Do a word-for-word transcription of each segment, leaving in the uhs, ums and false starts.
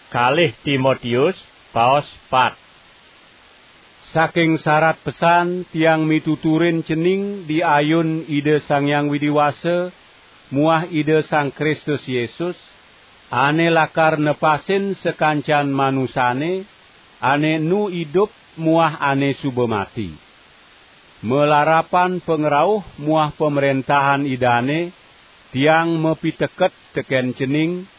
Kalih Timotius, paos pat. Saking sarat pesan tiang mituturin cening di ayun Ida Sang Hyang Widi Wasa muah Ida Sang Kristus Yesus, ane lakar nepasin sakancan manusane, ane nu idup muah ane suba mati. Malarapan pangrauh muah pamrentahan Idane, tiang mapiteket teken cening,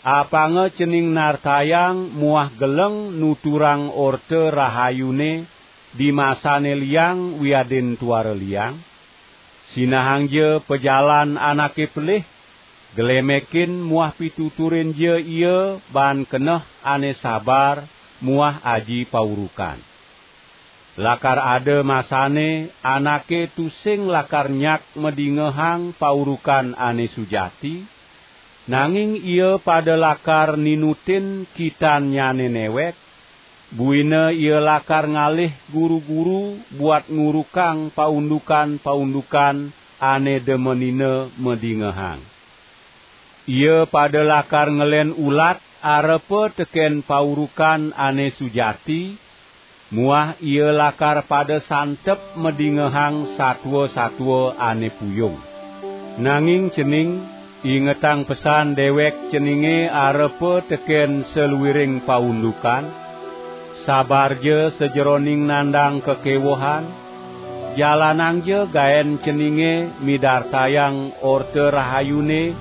apanga cening nartayang muah geleng nuturang Orta Rahayune di masane liang wiadin tuara liang. Sinahangja pajalan anake pelih, glemekin muah pituturinja ia baan keneh ane sabar muah aji paurukan. Lakar ada masane anake tusing lakar nyak madingehang paurukan ane sujati, nanging ia pada lakar ninutin kitannyane newek, buina ia lakar ngalih guru-guru buat ngurukang paundukan-paundukan ane demenina madingehang. Ia pada lakar ngelen ulat arepa teken paurukan ane sujati, muah ia lakar pada santep madingehang satua-satua ane puyung. Nanging cening, ingetang pesan dewek ceninge arepa teken saluiring paundukan, sabarja sajeroning nandang kakewehan, jalanangja gaen ceninge midartayang Orta Rahayune,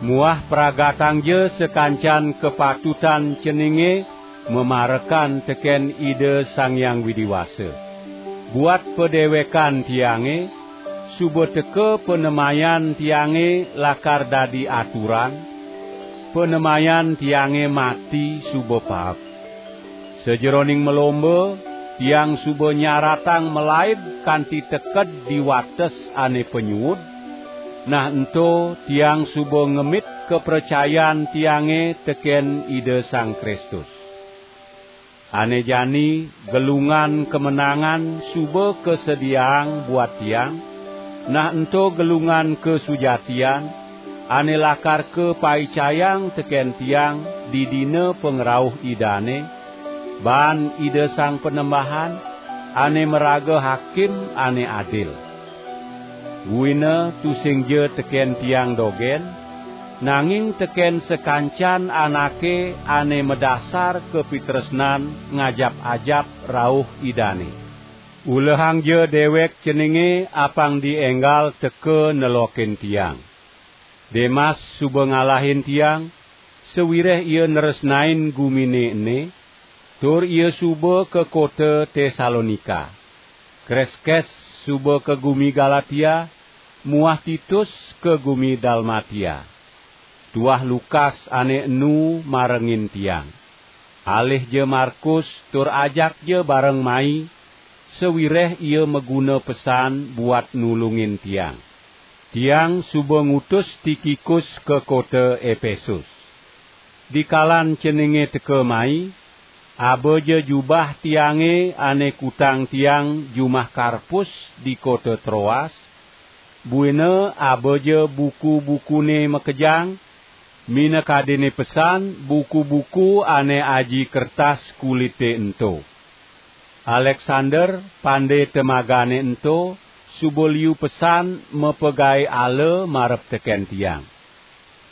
muah pragatangja sakancan kapatutan ceninge mamarekan teken Ida Sang Hyang Widi Wasa. Buat padewekan tiange, suba teka panemayan tiange lakar dadi aturan, panemayan tiange mati suba paek. Sajeroning malomba, tiang suba nyaratang malaib kanti teked di wates ane panyuud, nah ento tiang suba ngemit kapracayan tiange teken Ida Sang Kristus. Ane jani gelungan kamenangan suba kasediaang buat tiang, nah ento gelungan kasujatian, ane lakar kapaicayang teken tiang di dina pangrauh Idane, baan Ida Sang Panembahan, ane maraga Hakim ane adil. Buina tusingja teken tiang dogen, nanging teken sakancan anake ane madasar kapitresnan ngajap-ajap rauh Idane. Ulehangja dewek ceninge apang dienggal teka nelokin tiang. Demas suba ngalahin tiang, sawireh ia nresnain gumine ene, tur ia suba ka kota Tesalonika. Kreskes suba ka gumi Galatia, muah Titus ka gumi Dalmatia. Tuah Lukas ane enu marengin tiang. Alihja Markus tur ajakja bareng mai, sawireh ia maguna pesan buat nulungin tiang. Tiang suba ngutus Tikikus ka kota Epesus. Dikalan ceninge teka mai, abaja jubah tiange ane kutang tiang jumah Karpus di kota Troas, buina abaja buku-bukune makejang, minakadene pesan buku-buku ane aji kertas kulite ento. Aleksander, pande temagane ento, suba liu pesan mapagae ala marep teken tiang.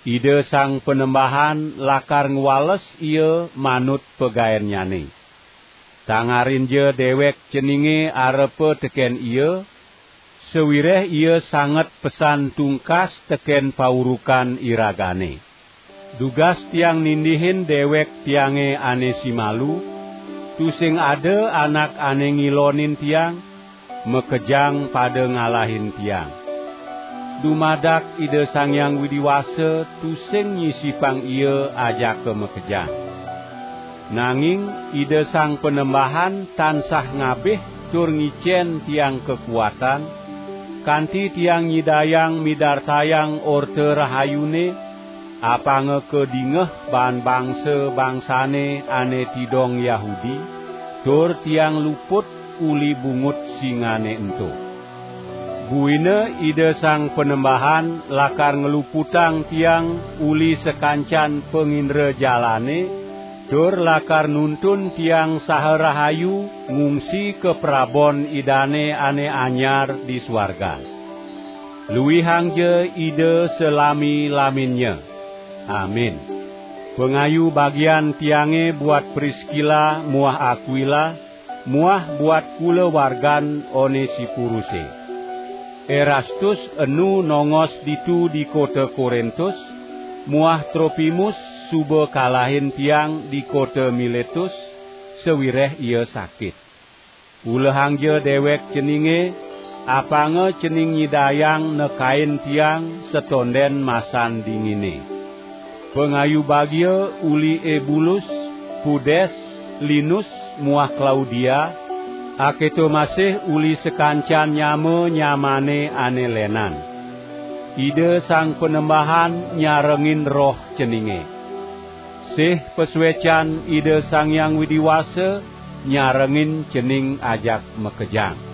Ida Sang Panembahan lakar ngwales ia manut pagaennyane. Tangarinja dewek ceninge arepa teken ia, sawireh ia sanget pesan tungkas teken paurukan iragane. Dugas tiang nindihin dewek tiange ane simalu, tusing ada anak ane ngilonin tiang, makejang pada ngalahin tiang. Dumadak Ida Sang Hyang Widi Wasa tusing nyisipang ia ajaka makejang. Nanging Ida Sang Panembahan tansah ngabih tur ngicen tiang kakuatan, kanti tiang nyidayang midartayang Orta Rahayune, apanga kadingeh baan bangsa-bangsane ane tidong Yahudi, tur tiang luput uli bungut singane ento. Buina Ida Sang Panembahan lakar ngluputang tiang uli sakancan pangindrajalane, tur lakar nuntun tiang saha rahayu ngungsi ka prabon Idane ane anyar di swargan. Luihangja Ida salami-laminnya. Amin. Pangayu bagian tiange buat Priskila muah Akwila, muah buat kulawargan Onesipuruse. Erastus enu nongos ditu di kota Korintus, muah Tropimus suba kalahin tiang di kota Miletus, sawireh ia sakit. Ulehangja dewek ceninge, apanga cening nyidayang nekain tiang satonden masan dingine. Pangayu bagia uli Ebulus, Pudes, Linus, muah Klaudia, aketo masih uli sakancan nyama-nyamane ane lenan. Ida Sang Panembahan nyarengin roh ceninge. Sih pasuecan Ida Sang Hyang Widi Wasa nyarengin cening ajak makejang.